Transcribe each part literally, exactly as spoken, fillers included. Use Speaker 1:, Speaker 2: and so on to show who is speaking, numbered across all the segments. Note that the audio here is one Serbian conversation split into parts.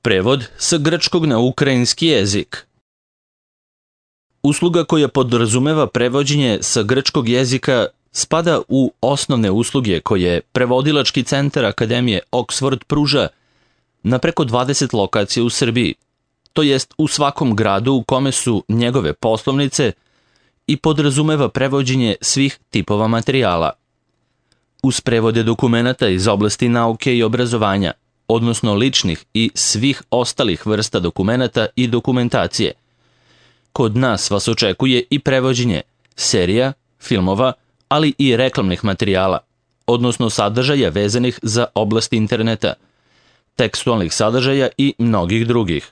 Speaker 1: Prevod sa grčkog na ukrajinski jezik. Usluga koja podrazumeva prevođenje sa grčkog jezika spada u osnovne usluge koje Prevodilački centar Akademije Oxford pruža na preko dvadeset lokacija u Srbiji, to jest u svakom gradu u kome su njegove poslovnice, i podrazumeva prevođenje svih tipova materijala. Uz prevode dokumenata iz oblasti nauke i obrazovanja, odnosno ličnih i svih ostalih vrsta dokumenata i dokumentacije, kod nas vas očekuje i prevođenje serija, filmova, ali i reklamnih materijala, odnosno sadržaja vezanih za oblast interneta, tekstualnih sadržaja i mnogih drugih.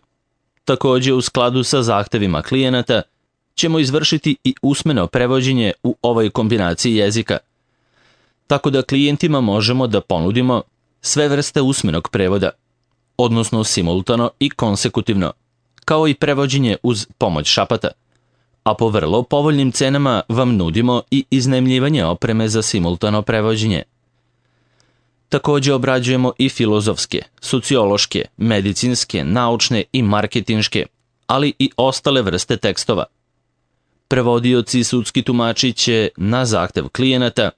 Speaker 1: Takođe, u skladu sa zahtevima klijenata, ćemo izvršiti i usmeno prevođenje u ovoj kombinaciji jezika, tako da klijentima možemo da ponudimo sve vrste usmenog prevoda, odnosno simultano i konsekutivno, kao i prevođenje uz pomoć šapata, a po vrlo povoljnim cenama vam nudimo i iznajmljivanje opreme za simultano prevođenje. Takođe obrađujemo i filozofske, sociološke, medicinske, naučne i marketinške, ali i ostale vrste tekstova. Prevodioci i sudski tumači će, na zahtev klijenata,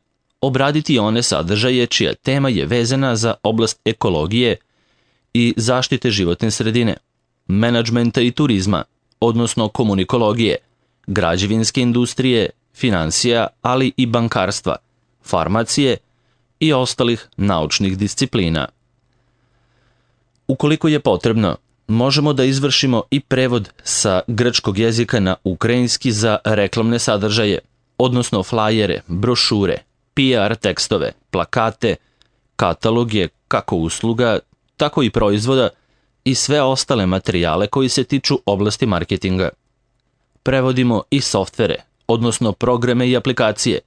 Speaker 1: obraditi one sadržaje čija tema je vezana za oblast ekologije i zaštite životne sredine, menadžmenta i turizma, odnosno komunikologije, građevinske industrije, finansija, ali i bankarstva, farmacije i ostalih naučnih disciplina. Ukoliko je potrebno, možemo da izvršimo i prevod sa grčkog jezika na ukrajinski za reklamne sadržaje, odnosno flajere, brošure, P R tekstove, plakate, kataloge kako usluga, tako i proizvoda i sve ostale materijale koji se tiču oblasti marketinga. Prevodimo i softvere, odnosno programe i aplikacije,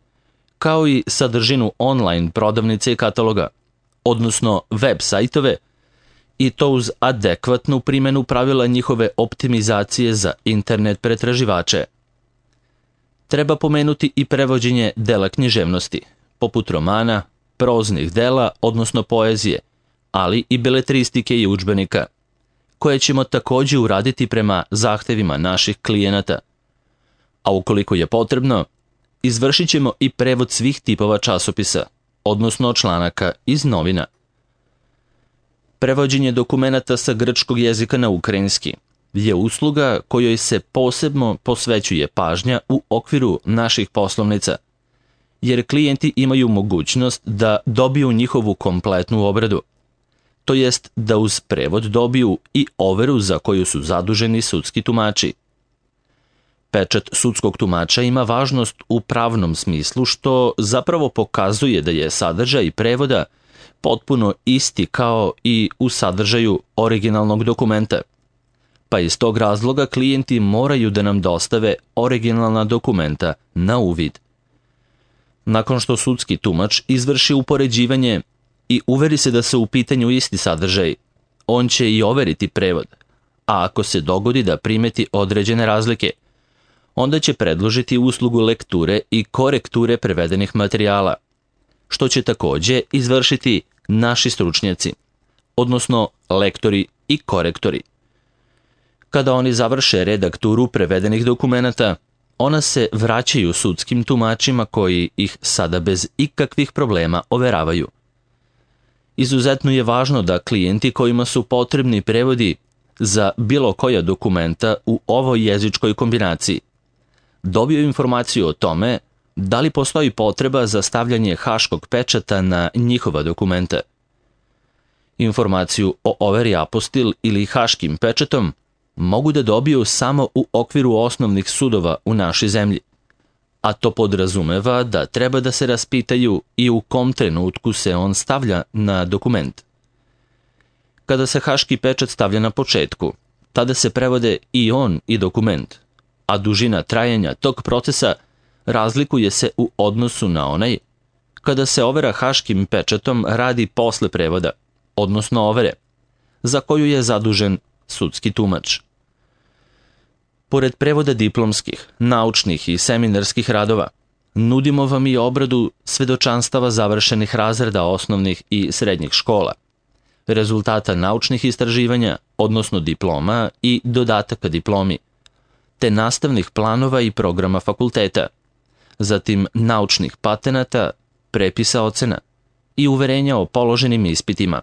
Speaker 1: kao i sadržinu online prodavnice i kataloga, odnosno web sajtove, i to uz adekvatnu primjenu pravila njihove optimizacije za internet pretraživače. Treba pomenuti i prevođenje dela književnosti, poput romana, proznih dela, odnosno poezije, ali i beletristike i udžbenika, koje ćemo takođe uraditi prema zahtevima naših klijenata. A ukoliko je potrebno, izvršit ćemo i prevod svih tipova časopisa, odnosno članaka iz novina. Prevođenje dokumenata sa grčkog jezika na ukrajinski je usluga kojoj se posebno posvećuje pažnja u okviru naših poslovnica, jer klijenti imaju mogućnost da dobiju njihovu kompletnu obradu, to jest da uz prevod dobiju i overu za koju su zaduženi sudski tumači. Pečat sudskog tumača ima važnost u pravnom smislu, što zapravo pokazuje da je sadržaj prevoda potpuno isti kao i u sadržaju originalnog dokumenta, pa iz tog razloga klijenti moraju da nam dostave originalna dokumenta na uvid. Nakon što sudski tumač izvrši upoređivanje i uveri se da su u pitanju isti sadržaj, on će i overiti prevod, a ako se dogodi da primeti određene razlike, onda će predložiti uslugu lekture i korekture prevedenih materijala, što će takođe izvršiti naši stručnjaci, odnosno lektori i korektori. Kada oni završe redakturu prevedenih dokumenata, ona se vraćaju sudskim tumačima koji ih sada bez ikakvih problema overavaju. Izuzetno je važno da klijenti kojima su potrebni prevodi za bilo koja dokumenta u ovoj jezičkoj kombinaciji dobiju informaciju o tome da li postoji potreba za stavljanje haškog pečata na njihova dokumenta. Informaciju o overi apostil ili haškim pečatom mogu da dobiju samo u okviru osnovnih sudova u našoj zemlji, a to podrazumeva da treba da se raspitaju i u kom trenutku se on stavlja na dokument. Kada se haški pečat stavlja na početku, tada se prevode i on i dokument, a dužina trajanja tog procesa razlikuje se u odnosu na onaj kada se overa haškim pečatom radi posle prevoda, odnosno overe, za koju je zadužen sudski tumač. Pored prevoda diplomskih, naučnih i seminarskih radova, nudimo vam i obradu svedočanstava završenih razreda osnovnih i srednjih škola, rezultata naučnih istraživanja, odnosno diploma i dodataka diplomi, te nastavnih planova i programa fakulteta, zatim naučnih patenata, prepisa ocena i uverenja o položenim ispitima,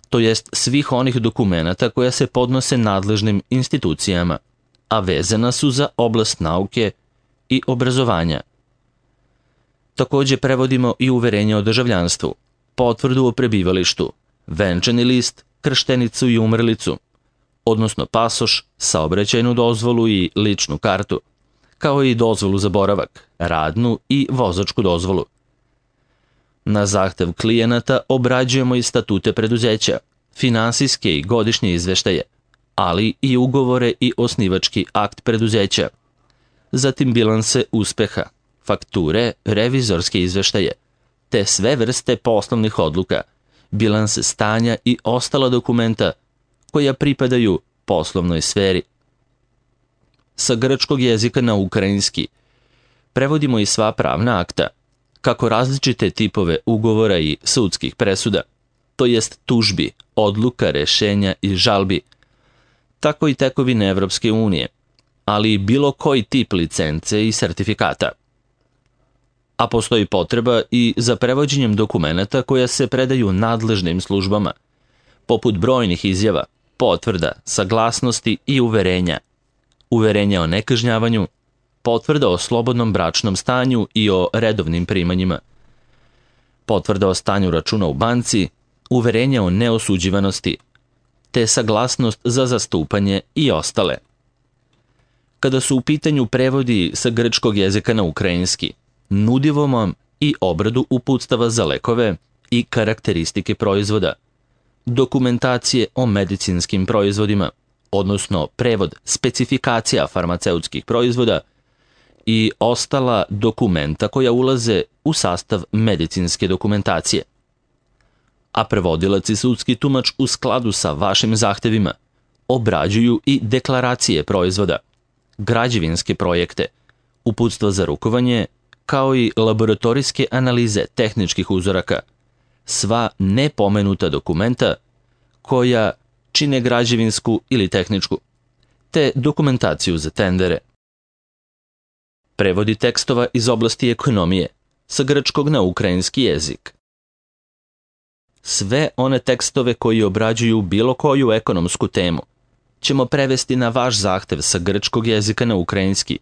Speaker 1: to jest svih onih dokumenata koja se podnose nadležnim institucijama, a vezana su za oblast nauke i obrazovanja. Takođe prevodimo i uverenje o državljanstvu, potvrdu o prebivalištu, venčani list, krštenicu i umrlicu, odnosno pasoš, saobraćajnu dozvolu i ličnu kartu, kao i dozvolu za boravak, radnu i vozačku dozvolu. Na zahtev klijenata obrađujemo i statute preduzeća, finansijske i godišnje izveštaje, ali i ugovore i osnivački akt preduzeća, zatim bilanse uspeha, fakture, revizorske izveštaje, te sve vrste poslovnih odluka, bilanse stanja i ostala dokumenta koja pripadaju poslovnoj sferi. Sa grčkog jezika na ukrajinski prevodimo i sva pravna akta, kako različite tipove ugovora i sudskih presuda, to jest tužbi, odluka, rešenja i žalbi, tako i tekovine Evropske unije, ali i bilo koji tip licence i sertifikata. A postoji potreba i za prevođenjem dokumenata koja se predaju nadležnim službama, poput brojnih izjava, potvrda, saglasnosti i uverenja, uverenja o nekažnjavanju, potvrda o slobodnom bračnom stanju i o redovnim primanjima, potvrda o stanju računa u banci, uverenja o neosuđivanosti, te saglasnost za zastupanje i ostale. Kada su u pitanju prevodi sa grčkog jezika na ukrajinski, nudimo vam i obradu uputstava za lekove i karakteristike proizvoda, dokumentacije o medicinskim proizvodima, odnosno prevod specifikacija farmaceutskih proizvoda i ostala dokumenta koja ulaze u sastav medicinske dokumentacije. A prevodilac i sudski tumač u skladu sa vašim zahtevima obrađuju i deklaracije proizvoda, građevinske projekte, uputstva za rukovanje, kao i laboratorijske analize tehničkih uzoraka, sva nepomenuta dokumenta koja čine građevinsku ili tehničku, te dokumentaciju za tendere. Prevodi tekstova iz oblasti ekonomije sa grčkog na ukrajinski jezik. Sve one tekstove koji obrađuju bilo koju ekonomsku temu ćemo prevesti na vaš zahtev sa grčkog jezika na ukrajinski.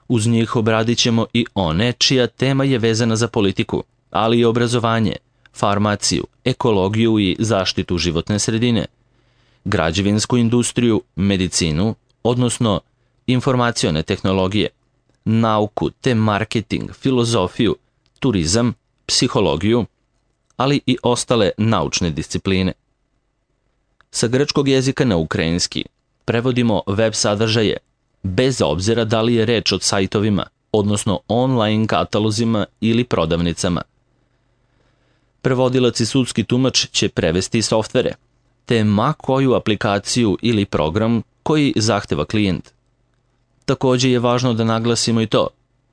Speaker 1: Uz njih obradit ćemo i one čija tema je vezana za politiku, ali i obrazovanje, farmaciju, ekologiju i zaštitu životne sredine, građevinsku industriju, medicinu, odnosno informacione tehnologije, nauku te marketing, filozofiju, turizam, psihologiju, ali i ostale naučne discipline. Sa grčkog jezika na ukrajinski prevodimo web sadržaje, bez obzira da li je reč o sajtovima, odnosno online katalozima ili prodavnicama. Prevodilac i sudski tumač će prevesti softvere, te ma koju aplikaciju ili program koji zahteva klijent. Takođe je važno da naglasimo i to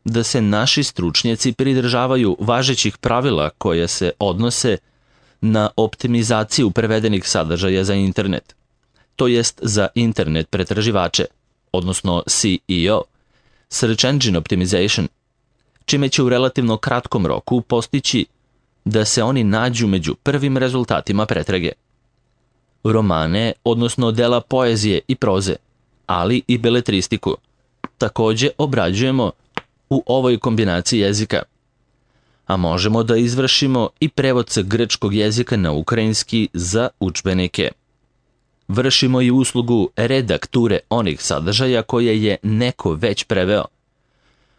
Speaker 1: da se naši stručnjaci pridržavaju važećih pravila koja se odnose na optimizaciju prevedenih sadržaja za internet, to jest za internet pretraživače, odnosno S E O, Search Engine Optimization, čime će u relativno kratkom roku postići da se oni nađu među prvim rezultatima pretrage. Romane, odnosno dela poezije i proze, ali i beletristiku, takođe obrađujemo u ovoj kombinaciji jezika, a možemo da izvršimo i prevod sa grčkog jezika na ukrajinski za udžbenike. Vršimo i uslugu redakture onih sadržaja koje je neko već preveo,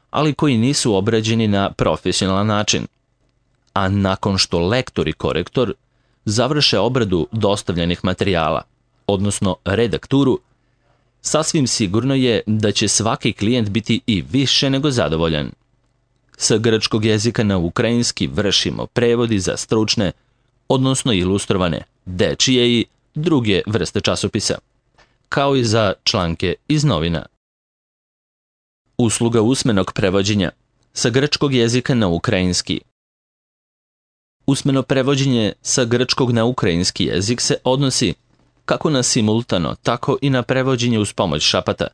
Speaker 1: ali koji nisu obrađeni na profesionalan način, a nakon što lektor i korektor završe obradu dostavljenih materijala, odnosno redakturu, sasvim sigurno je da će svaki klijent biti i više nego zadovoljan. Sa grčkog jezika na ukrajinski vršimo prevodi za stručne, odnosno ilustrovane, dečije i druge vrste časopisa, kao i za članke iz novina. Usluga usmenog prevođenja sa grčkog jezika na ukrajinski. Usmeno prevođenje sa grčkog na ukrajinski jezik se odnosi kako na simultano, tako i na prevođenje uz pomoć šapata,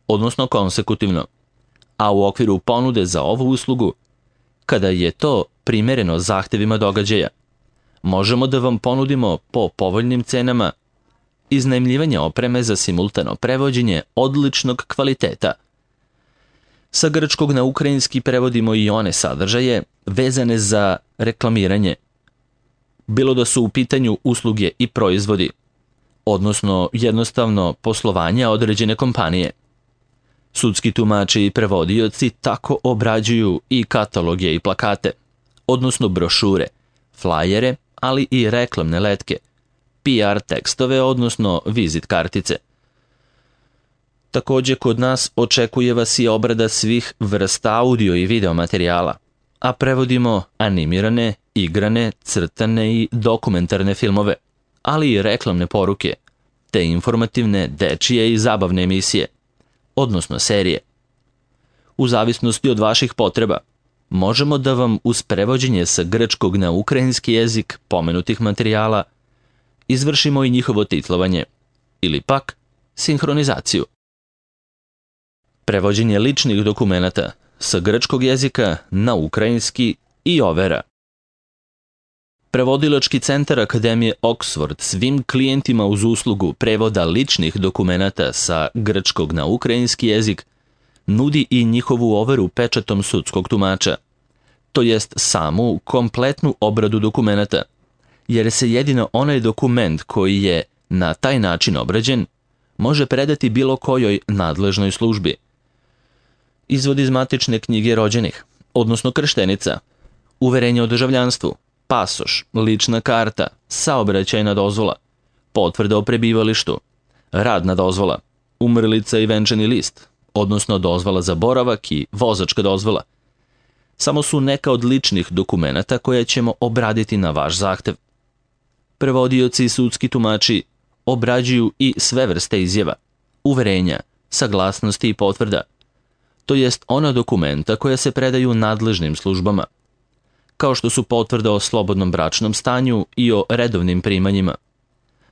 Speaker 1: odnosno konsekutivno, a u okviru ponude za ovu uslugu, kada je to primereno zahtevima događaja, možemo da vam ponudimo po povoljnim cenama iznajmljivanje opreme za simultano prevođenje odličnog kvaliteta. Sa grčkog na ukrajinski prevodimo i one sadržaje vezane za reklamiranje, bilo da su u pitanju usluge i proizvodi, odnosno jednostavno poslovanja određene kompanije. Sudski tumači i prevodioci tako obrađuju i kataloge i plakate, odnosno brošure, flajere, ali i reklamne letke, P R tekstove, odnosno vizit kartice. Također kod nas očekuje vas i obrada svih vrsta audio i video materijala, a prevodimo animirane, igrane, crtane i dokumentarne filmove, ali i reklamne poruke, te informativne, dečije i zabavne emisije, odnosno serije. U zavisnosti od vaših potreba, možemo da vam uz prevođenje sa grčkog na ukrajinski jezik pomenutih materijala izvršimo i njihovo titlovanje, ili pak sinhronizaciju. Prevođenje ličnih dokumenata sa grčkog jezika na ukrajinski i overa. Prevodilački centar Akademije Oxford svim klijentima uz uslugu prevoda ličnih dokumenata sa grčkog na ukrajinski jezik nudi i njihovu overu pečatom sudskog tumača, to jest samu kompletnu obradu dokumenata, jer se jedino onaj dokument koji je na taj način obrađen može predati bilo kojoj nadležnoj službi. Izvod iz matične knjige rođenih, odnosno krštenica, uverenje o državljanstvu, pasoš, lična karta, saobraćajna dozvola, potvrda o prebivalištu, radna dozvola, umrlica i venčani list, odnosno dozvola za boravak i vozačka dozvola, samo su neka od ličnih dokumenata koje ćemo obraditi na vaš zahtev. Prevodioci i sudski tumači obrađuju i sve vrste izjava, uverenja, saglasnosti i potvrda, to jest ona dokumenta koja se predaju nadležnim službama, kao što su potvrda o slobodnom bračnom stanju i o redovnim primanjima,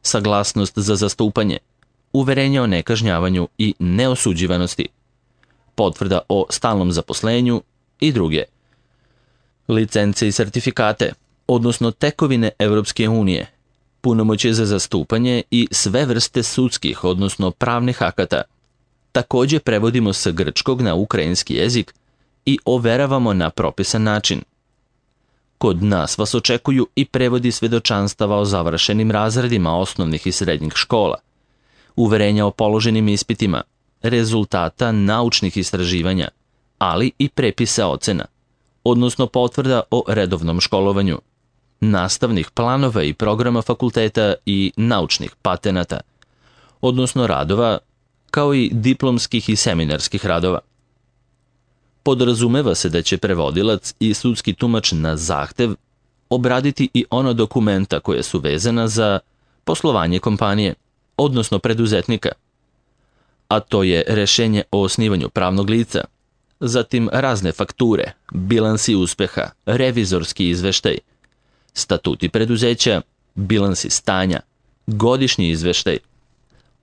Speaker 1: saglasnost za zastupanje, uverenje o nekažnjavanju i neosuđivanosti, potvrda o stalnom zaposlenju i druge. Licence i sertifikate, odnosno tekovine Evropske unije, punomoćje za zastupanje i sve vrste sudskih, odnosno pravnih akata. Također prevodimo sa grčkog na ukrajinski jezik i overavamo na propisan način. Kod nas vas očekuju i prevodi svedočanstava o završenim razredima osnovnih i srednjih škola, uverenja o položenim ispitima, rezultata naučnih istraživanja, ali i prepisa ocena, odnosno potvrda o redovnom školovanju, nastavnih planova i programa fakulteta i naučnih patenata, odnosno radova, kao i diplomskih i seminarskih radova. Podrazumeva se da će prevodilac i sudski tumač na zahtev obraditi i ona dokumenta koje su vezana za poslovanje kompanije, odnosno preduzetnika, a to je rešenje o osnivanju pravnog lica, zatim razne fakture, bilansi uspeha, revizorski izveštaj, statuti preduzeća, bilansi stanja, godišnji izveštaj,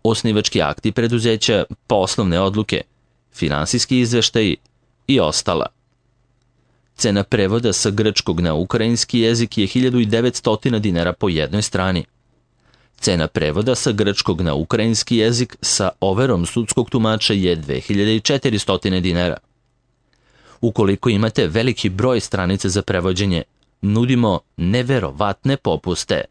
Speaker 1: osnivački akti preduzeća, poslovne odluke, finansijski izveštaj i ostala. Cena prevoda sa grčkog na ukrajinski jezik je hiljadu devetsto dinara po jednoj strani. Cena prevoda sa grčkog na ukrajinski jezik sa overom sudskog tumača je dve hiljade četiristo dinara. Ukoliko imate veliki broj stranica za prevođenje, nudimo neverovatne popuste.